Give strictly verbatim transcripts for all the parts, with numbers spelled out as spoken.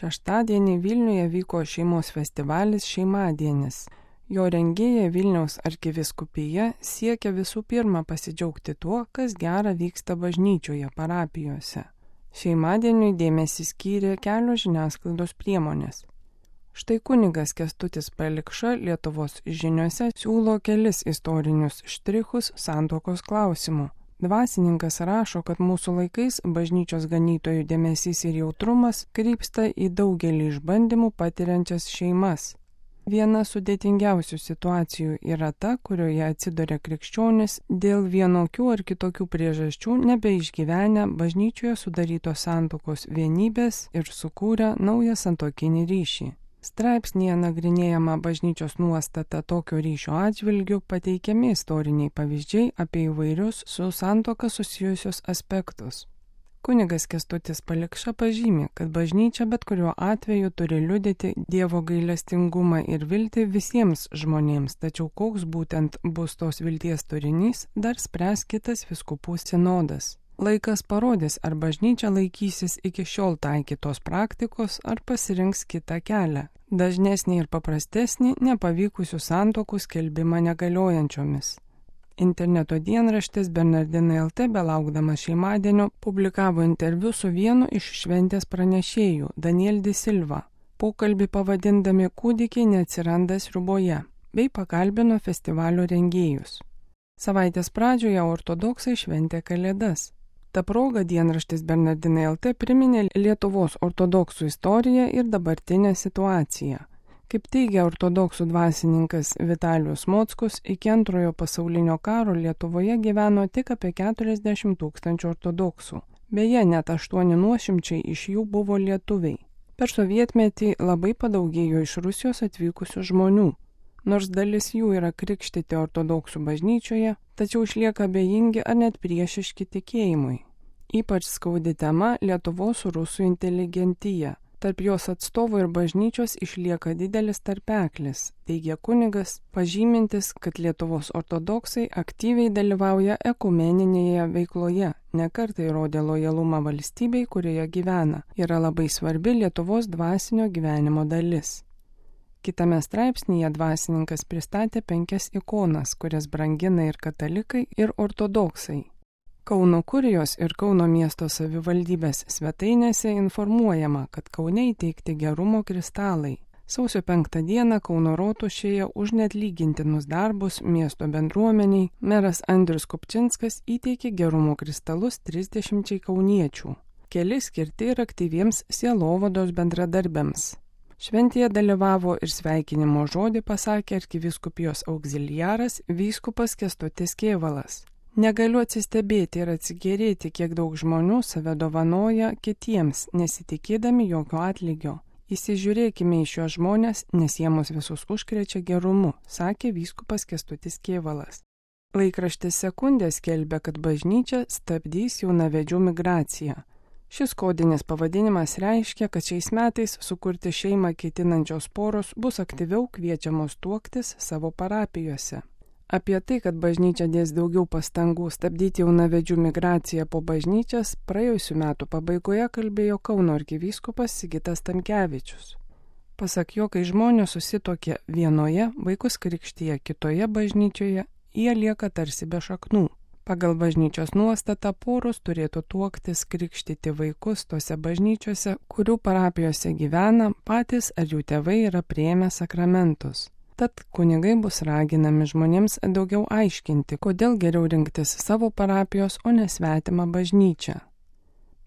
Šeštadienį Vilniuje vyko šeimos festivalis Šeimadienis. Jo rengėja Vilniaus arkivyskupija siekia visų pirma pasidžiaugti tuo, kas gera vyksta bažnyčioje, parapijose. Šeimadieniui dėmesį skyrė kelios žiniasklaidos priemonės. Štai kunigas Kęstutis Palikša Lietuvos žiniose siūlo kelis istorinius štrichus santuokos klausimu. Dvasininkas rašo, kad mūsų laikais bažnyčios ganytojų dėmesys ir jautrumas krypsta į daugelį išbandymų patiriančias šeimas. Viena sudėtingiausių situacijų yra ta, kurioje atsiduria krikščionis dėl vienokių ar kitokių priežasčių nebeišgyvenę bažnyčioje sudarytos santuokos vienybės ir sukūrę naują santuokinį ryšį. Straipsnyje nagrinėjama bažnyčios nuostata tokio ryšio atžvilgiu, pateikiami istoriniai pavyzdžiai apie įvairius su santuoka susijusius aspektus. Kunigas Kęstutis Palikša pažymi, kad bažnyčia bet kuriuo atveju turi liudyti Dievo gailestingumą ir viltį visiems žmonėms, tačiau koks būtent bus tos vilties turinys, dar spręs kitas vyskupų sinodas. Laikas parodys, ar bažnyčia laikysis iki šiol taikytos praktikos, ar pasirinks kitą kelią, dažnesnį ir paprastesnį nepavykusių santuokų skelbimą negaliojančiomis. Interneto dienraštis Bernardinai L T belaukdamas Šeimadienio publikavo interviu su vienu iš šventės pranešėjų, Daniel Di Silva. Pokalbį pavadindami Kūdikiai neatsiranda sriuboje, bei pakalbino festivalio rengėjus. Savaitės pradžioje ortodoksai šventė Kalėdas. Ta proga dienraštis Bernardinai L T priminė Lietuvos ortodoksų istoriją ir dabartinę situaciją. Kaip teigia ortodoksų dvasininkas Vitalijus Mockus, iki antrojo pasaulinio karo Lietuvoje gyveno tik apie keturiasdešimt tūkstančių ortodoksų. Beje, net aštuoni nuošimčiai iš jų buvo lietuviai. Per sovietmetį labai padaugėjo iš Rusijos atvykusių žmonių. Nors dalis jų yra krikštyti ortodoksų bažnyčioje, tačiau išlieka abejingi ar net priešiški tikėjimui. Ypač skaudi tema Lietuvos rusų inteligentija. Tarp jos atstovų ir bažnyčios išlieka didelis tarpeklis, teigia kunigas, pažymintis, kad Lietuvos ortodoksai aktyviai dalyvauja ekumeninėje veikloje, nekartai rodė lojalumą valstybei, kurioje gyvena, yra labai svarbi Lietuvos dvasinio gyvenimo dalis. Kitame straipsnyje dvasininkas pristatė penkias ikonas, kurias brangina ir katalikai, ir ortodoksai. Kauno kurijos ir Kauno miesto savivaldybės svetainėse informuojama, kad Kaune įteikti gerumo kristalai. Sausio penktą dieną Kauno rotušėje už neatlygintinus darbus miesto bendruomeniai meras Andrius Kupčinskas įteikė gerumo kristalus trisdešimčiai kauniečių. Keli skirti ir aktyviems sielovados bendradarbiams. Šventėje dalyvavo ir sveikinimo žodį pasakė arkivyskupijos auxiliaras vyskupas Kęstutis Kėvalas. Negaliu atsistebėti ir atsigėrėti, kiek daug žmonių save dovanoja kitiems, nesitikėdami jokio atlygio. Įsižiūrėkime į šios žmonės, nes jie mus visus užkrečia gerumu, sakė vyskupas Kęstutis Kėvalas. Laikraštis Sekundė skelbia, kad bažnyčia stabdys jaunavedžių migraciją. Šis kodinis pavadinimas reiškia, kad šiais metais sukurti šeimą ketinančios poros bus aktyviau kviečiamos tuoktis savo parapijose. Apie tai, kad bažnyčia dės daugiau pastangų stabdyti jaunavedžių migraciją po bažnyčias, praėjusių metų pabaigoje kalbėjo Kauno arkivyskupas Sigitas Tamkevičius. Pasak jo, kai žmonės susituokė vienoje, vaikus krikštyje kitoje bažnyčioje, jie lieka tarsi be šaknų. Pagal bažnyčios nuostatą poros turėtų tuoktis krikštyti vaikus tose bažnyčiose, kurių parapijose gyvena, patys ar jų tėvai yra priėmę sakramentus. Tad kunigai bus raginami žmonėms daugiau aiškinti, kodėl geriau rinktis savo parapijos, o ne svetimą bažnyčią.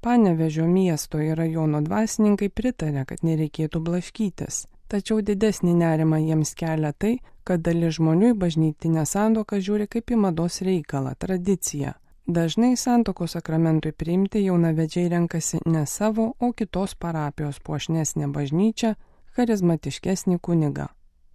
Panevėžio miesto ir rajono dvasininkai pritarė, kad nereikėtų blaškytis. Tačiau didesnį nerimą jiems kelia tai, kad dalis žmonių į bažnytinę santuoką žiūri kaip į mados reikalą, tradiciją. Dažnai santuokos sakramentui priimti jaunavedžiai renkasi ne savo, o kitos parapijos puošnesnę bažnyčią, charizmatiškesnį kunigą.